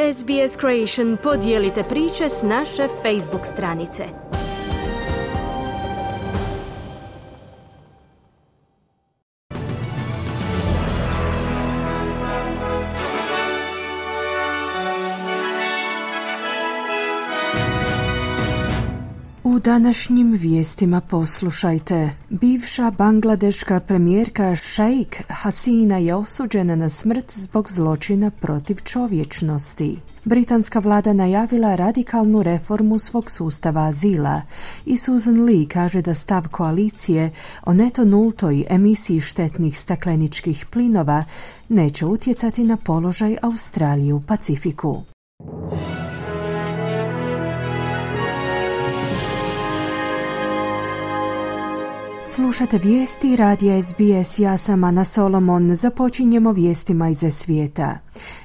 SBS Creation podijelite priče s naše Facebook stranice. U današnjim vijestima poslušajte. Bivša bangladeška premijerka Sheikh Hasina je osuđena na smrt zbog zločina protiv čovječnosti. Britanska vlada najavila radikalnu reformu svog sustava azila i Susan Lee kaže da stav koalicije o neto nultoj emisiji štetnih stakleničkih plinova neće utjecati na položaj Australije u Pacifiku. Slušate vijesti radija SBS, ja sam Ana Solomon. Započinjemo vijestima iz svijeta.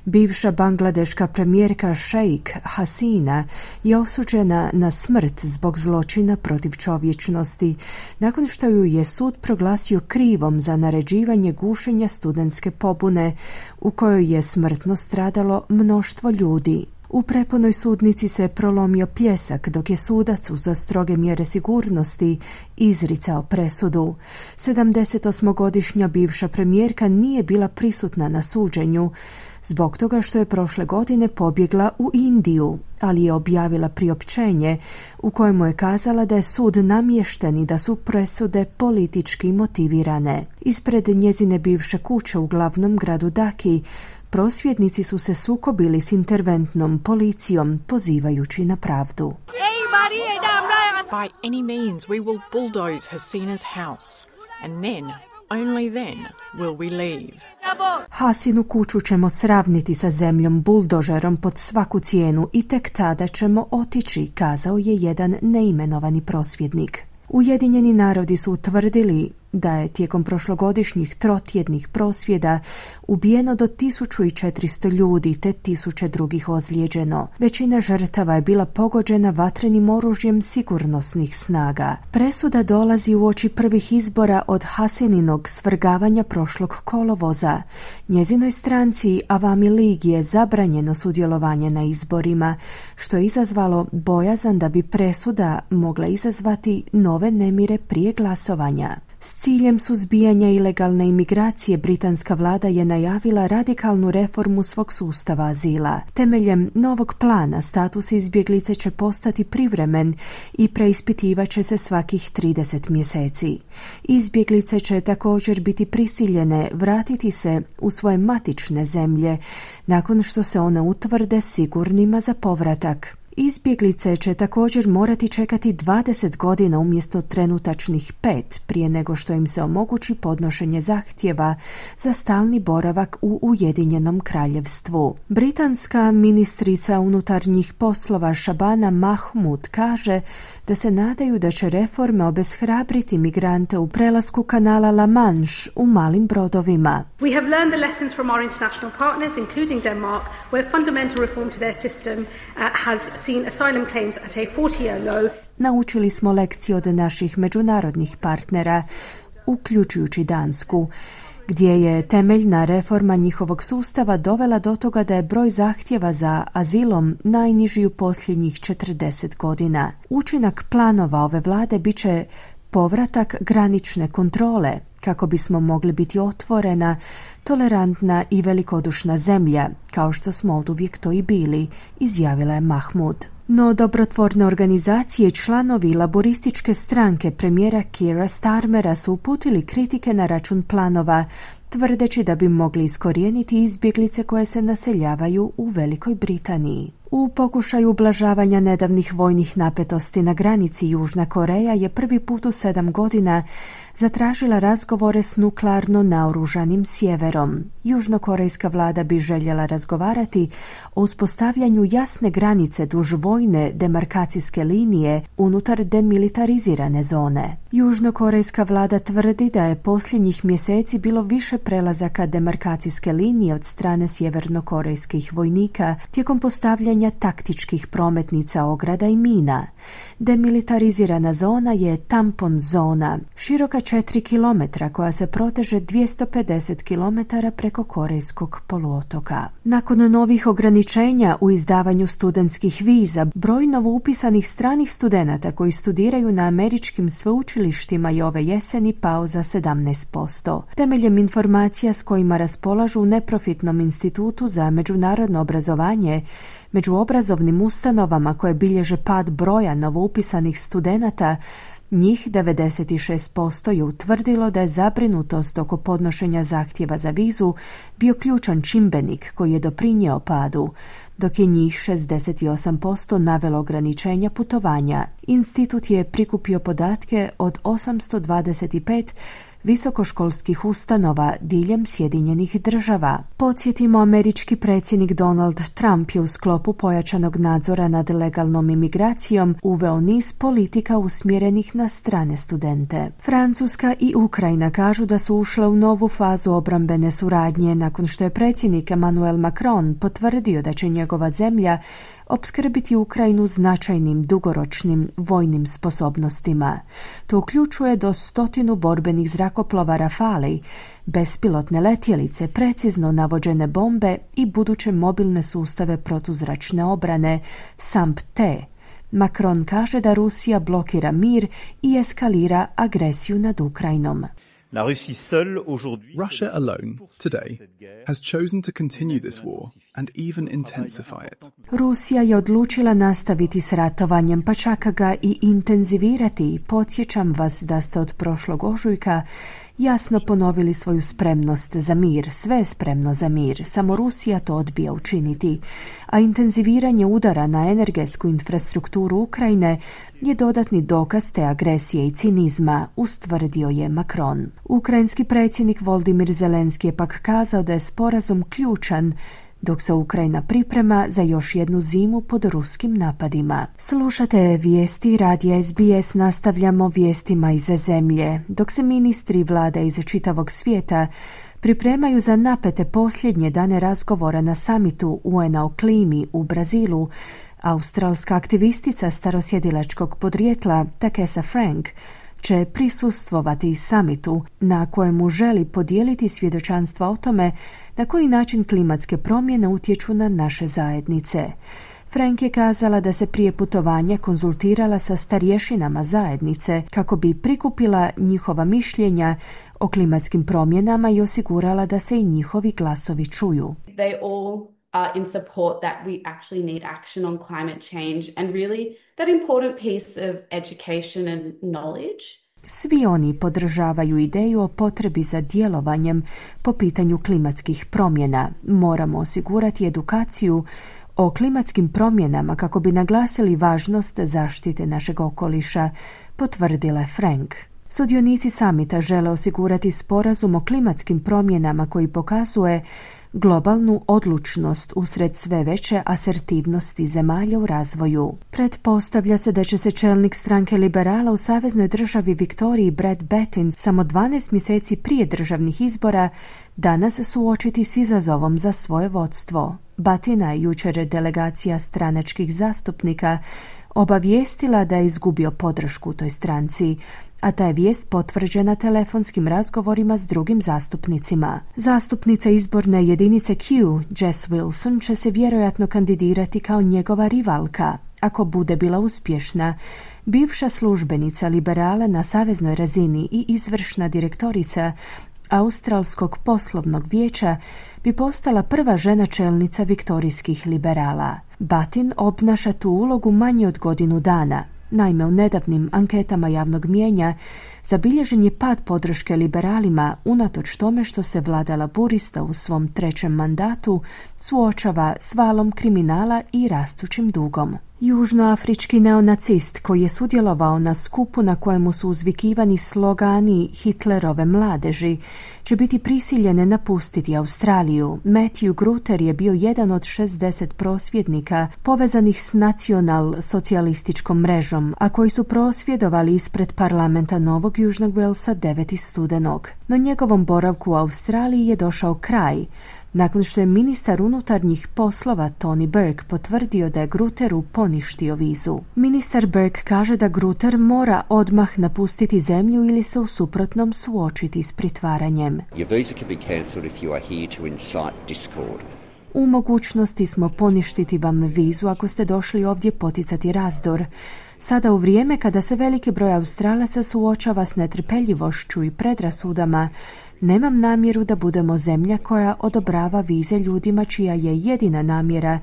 Bivša bangladeška premijerka Sheikh Hasina je osuđena na smrt zbog zločina protiv čovječnosti, nakon što ju je sud proglasio krivom za naređivanje gušenja studentske pobune, u kojoj je smrtno stradalo mnoštvo ljudi. U prepunoj sudnici se prolomio pljesak dok je sudac za stroge mjere sigurnosti izricao presudu. 78-godišnja bivša premijerka nije bila prisutna na suđenju zbog toga što je prošle godine pobjegla u Indiju, ali je objavila priopćenje u kojemu je kazala da je sud namješten i da su presude politički motivirane. Ispred njezine bivše kuće u glavnom gradu Dhaki prosvjednici su se sukobili s interventnom policijom, pozivajući na pravdu. By any means we will bulldoze Hasina's house, and then, only then, will we leave. Hasinu kuću ćemo sravniti sa zemljom buldožerom pod svaku cijenu i tek tada ćemo otići, kazao je jedan neimenovani prosvjednik. Ujedinjeni narodi su utvrdili da je tijekom prošlogodišnjih trotjednih prosvjeda ubijeno do 1400 ljudi te 1000 drugih ozlijeđeno. Većina žrtava je bila pogođena vatrenim oružjem sigurnosnih snaga. Presuda dolazi uoči prvih izbora od Hasininog svrgavanja prošlog kolovoza. Njezinoj stranci Awami League je zabranjeno sudjelovanje na izborima, što je izazvalo bojazan da bi presuda mogla izazvati nove nemire prije glasovanja. S ciljem suzbijanja ilegalne imigracije, britanska vlada je najavila radikalnu reformu svog sustava azila. Temeljem novog plana status izbjeglice će postati privremen i preispitivat će se svakih 30 mjeseci. Izbjeglice će također biti prisiljene vratiti se u svoje matične zemlje nakon što se one utvrde sigurnima za povratak. Izbjeglice će također morati čekati 20 godina umjesto trenutačnih 5 prije nego što im se omogući podnošenje zahtjeva za stalni boravak u Ujedinjenom kraljevstvu. Britanska ministrica unutarnjih poslova Shabana Mahmood kaže da se nadaju da će reforme obeshrabriti migrante u prelasku kanala La Manche u malim brodovima. We have learned the lessons from our international partners, including Denmark, where fundamental reform to their system has seen asylum claims at a 40-year low. Naučili smo lekcije od naših međunarodnih partnera, uključujući Dansku, gdje je temeljna reforma njihovog sustava dovela do toga da je broj zahtjeva za azilom najniži u posljednjih 40 godina. Učinak planova ove vlade bit će povratak granične kontrole, kako bismo mogli biti otvorena, tolerantna i velikodušna zemlja, kao što smo oduvijek to i bili, izjavila je Mahmood. No dobrotvorne organizacije i članovi laborističke stranke premijera Keira Starmera su uputili kritike na račun planova, tvrdeći da bi mogli iskorijeniti izbjeglice koje se naseljavaju u Velikoj Britaniji. U pokušaju ublažavanja nedavnih vojnih napetosti na granici Južna Koreja je prvi put u 7 godina zatražila razgovore s nuklearno naoružanim sjeverom. Južnokorejska vlada bi željela razgovarati o uspostavljanju jasne granice duž vojne demarkacijske linije unutar demilitarizirane zone. Južnokorejska vlada tvrdi da je posljednjih mjeseci bilo više prelazaka demarkacijske linije od strane sjevernokorejskih vojnika tijekom postavljanja taktičkih prometnica, ograda i mina. Demilitarizirana zona je tampon zona, široka 4 kilometra koja se proteže 250 kilometara preko Korejskog poluotoka. Nakon novih ograničenja u izdavanju studentskih viza, broj novoupisanih stranih studenata koji studiraju na američkim sveučilištima je ove jeseni pao za 17%. Temeljem informacija s kojima raspolažu u neprofitnom institutu za međunarodno obrazovanje, među obrazovnim ustanovama koje bilježe pad broja novoupisanih studenata, njih 96% je utvrdilo da je zabrinutost oko podnošenja zahtjeva za vizu bio ključan čimbenik koji je doprinjeo padu, dok je njih 68% navelo ograničenja putovanja. Institut je prikupio podatke od 825 visokoškolskih ustanova diljem Sjedinjenih Država. Podsjetimo, američki predsjednik Donald Trump je u sklopu pojačanog nadzora nad legalnom imigracijom uveo niz politika usmjerenih na strane studente. Francuska i Ukrajina kažu da su ušle u novu fazu obrambene suradnje nakon što je predsjednik Emmanuel Macron potvrdio da će njegova zemlja opskrbiti Ukrajinu značajnim dugoročnim vojnim sposobnostima. To uključuje do 100 borbenih zrakoplova Rafale, bespilotne letjelice, precizno navođene bombe i buduće mobilne sustave protuzračne obrane SAMP-T. Macron kaže da Rusija blokira mir i eskalira agresiju nad Ukrajinom. Russia alone, today, has chosen to continue this war and even intensify it. Rusija je odlučila nastaviti s ratovanjem, pa čak ga i intenzivirati. Podsjećam vas da ste od prošlog ožujka jasno ponovili svoju spremnost za mir. Sve je spremno za mir, samo Rusija to odbija učiniti. A intenziviranje udara na energetsku infrastrukturu Ukrajine je dodatni dokaz te agresije i cinizma, ustvrdio je Macron. Ukrajinski predsjednik Volodymyr Zelenski je pak kazao da je sporazum ključan dok se Ukrajina priprema za još jednu zimu pod ruskim napadima. Slušate vijesti radija SBS, nastavljamo vijestima iz zemlje. Dok se ministri vlada iz čitavog svijeta pripremaju za napete posljednje dane razgovora na samitu UN-a o klimi u Brazilu, australska aktivistica starosjedilačkog podrijetla Takesa Frank će prisustvovati samitu na kojemu želi podijeliti svjedočanstva o tome na koji način klimatske promjene utječu na naše zajednice. Frank je kazala da se prije putovanja konzultirala sa starješinama zajednice kako bi prikupila njihova mišljenja o klimatskim promjenama i osigurala da se i njihovi glasovi čuju. They all are in support that we actually need action on climate change and really that important piece of education and knowledge. Svi oni podržavaju ideju o potrebi za djelovanjem po pitanju klimatskih promjena. Moramo osigurati edukaciju o klimatskim promjenama kako bi naglasili važnost zaštite našeg okoliša, potvrdila je Frank. Sudionici samita žele osigurati sporazum o klimatskim promjenama koji pokazuje globalnu odlučnost usred sve veće asertivnosti zemalja u razvoju. Pretpostavlja se da će se čelnik stranke liberala u saveznoj državi Viktoriji Brad Battin samo 12 mjeseci prije državnih izbora danas suočiti s izazovom za svoje vodstvo. Battina je jučer delegacija stranačkih zastupnika obavijestila da je izgubio podršku toj stranci, a ta je vijest potvrđena telefonskim razgovorima s drugim zastupnicima. Zastupnica izborne jedinice Q, Jess Wilson, će se vjerojatno kandidirati kao njegova rivalka. Ako bude bila uspješna, bivša službenica liberala na saveznoj razini i izvršna direktorica Australskog poslovnog vijeća bi postala prva žena čelnica viktorijskih liberala. Battin obnaša tu ulogu manje od godinu dana. Naime, u nedavnim anketama javnog mijenja zabilježen je pad podrške liberalima unatoč tome što se vlada laburista u svom trećem mandatu suočava s valom kriminala i rastućim dugom. Južnoafrički neonacist koji je sudjelovao na skupu na kojemu su uzvikivani slogani Hitlerove mladeži će biti prisiljen napustiti Australiju. Matthew Gruter je bio jedan od 60 prosvjednika povezanih s nacional-socijalističkom mrežom, a koji su prosvjedovali ispred parlamenta Novog Južnog Walesa 9. studenog. No njegovom boravku u Australiji je došao kraj nakon što je ministar unutarnjih poslova Tony Burke potvrdio da je Grutteru poništio vizu. Ministar Burke kaže da Grutter mora odmah napustiti zemlju ili se u suprotnom suočiti s pritvaranjem. Your visa can be cancelled if you are here to incite discord. U mogućnosti smo poništiti vam vizu ako ste došli ovdje poticati razdor. Sada u vrijeme kada se veliki broj Australaca suočava s netrpeljivošću i predrasudama, nemam namjeru da budemo zemlja koja odobrava vize ljudima čija je jedina namjera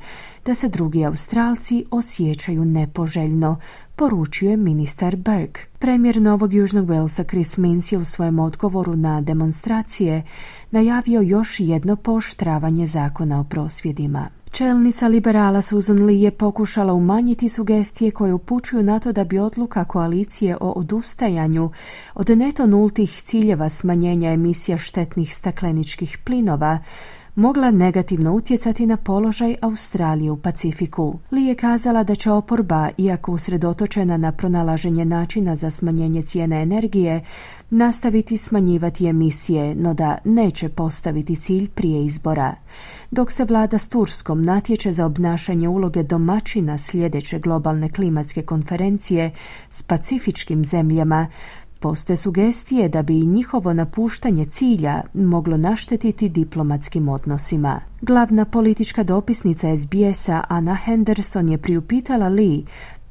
da se drugi Australci osjećaju nepoželjno, poručio je ministar Burke. Premijer Novog Južnog Walesa Chris Minns je u svojem odgovoru na demonstracije najavio još jedno pooštravanje zakona o prosvjedima. Čelnica liberala Susan Lee je pokušala umanjiti sugestije koje upućuju na to da bi odluka koalicije o odustajanju od neto nultih ciljeva smanjenja emisija štetnih stakleničkih plinova mogla negativno utjecati na položaj Australije u Pacifiku. Lee je kazala da će oporba, iako usredotočena na pronalaženje načina za smanjenje cijene energije, nastaviti smanjivati emisije, no da neće postaviti cilj prije izbora. Dok se vlada s Turskom natječe za obnašanje uloge domaćina sljedeće globalne klimatske konferencije s pacifičkim zemljama, postoje sugestije da bi njihovo napuštanje cilja moglo naštetiti diplomatskim odnosima. Glavna politička dopisnica SBS-a Anna Henderson je priupitala Lee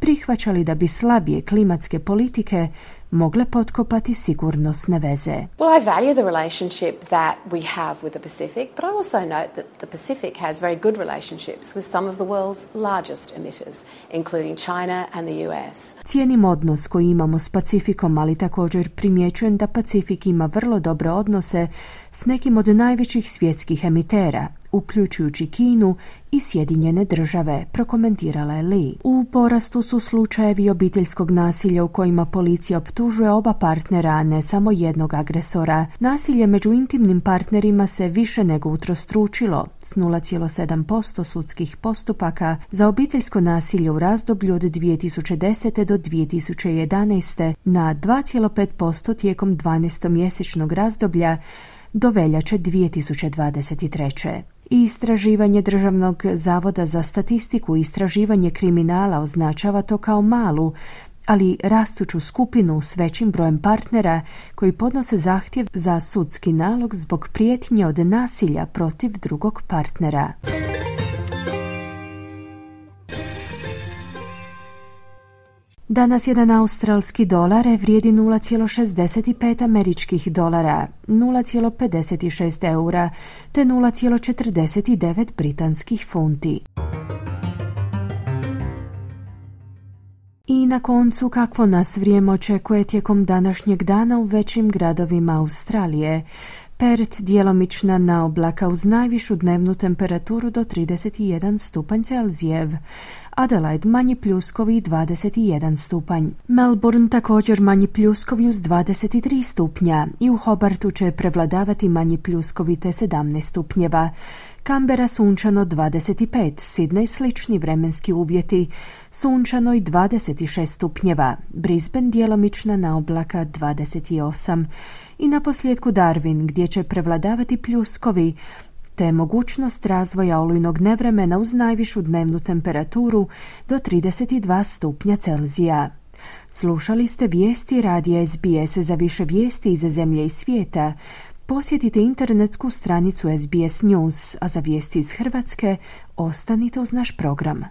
prihvaća li da bi slabije klimatske politike mogle potkopati sigurnosne veze. Well, I value the relationship that we have with the Pacific, but I also note that the Pacific has very good relationships with some of the world's largest emitters, including China and the US. Cijenim odnos koji imamo s Pacifikom, ali također primjećujem da Pacifik ima vrlo dobre odnose s nekim od najvećih svjetskih emitera, uključujući Kinu i Sjedinjene države, prokomentirala je Lee. U porastu su slučajevi obiteljskog nasilja u kojima policija optužuje oba partnera, a ne samo jednog agresora. Nasilje među intimnim partnerima se više nego utrostručilo, s 0,7% sudskih postupaka za obiteljsko nasilje u razdoblju od 2010. do 2011. na 2,5% tijekom 12-mjesečnog razdoblja do veljače 2023. I istraživanje Državnog zavoda za statistiku i istraživanje kriminala označava to kao malu, ali rastuću skupinu s većim brojem partnera koji podnose zahtjev za sudski nalog zbog prijetnje od nasilja protiv drugog partnera. Danas jedan australski dolar vrijedi 0,65 američkih dolara, 0,56 eura te 0,49 britanskih funti. I na koncu, kakvo nas vrijeme očekuje tijekom današnjeg dana u većim gradovima Australije. Perth djelomična naoblaka uz najvišu dnevnu temperaturu do 31 stupanj Celzijev. Adelaide manji pljuskovi 21 stupanj. Melbourne također manji pljuskovi uz 23 stupnja i u Hobartu će prevladavati manji pljuskovi te 17 stupnjeva. Canberra sunčano 25, Sydney slični vremenski uvjeti, sunčano i 26 stupnjeva, Brisbane djelomična naoblaka 28 i naposljetku Darwin gdje će prevladavati pljuskovi te mogućnost razvoja olujnog nevremena uz najvišu dnevnu temperaturu do 32 stupnja Celzija. Slušali ste vijesti radija SBS. Za više vijesti iz zemlje i svijeta posjetite internetsku stranicu SBS News, a za vijesti iz Hrvatske ostanite uz naš program.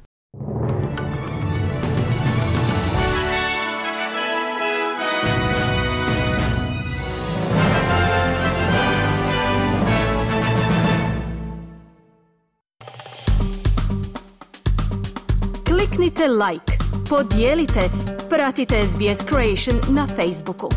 Kliknite like, podijelite, pratite SBS Creation na Facebooku.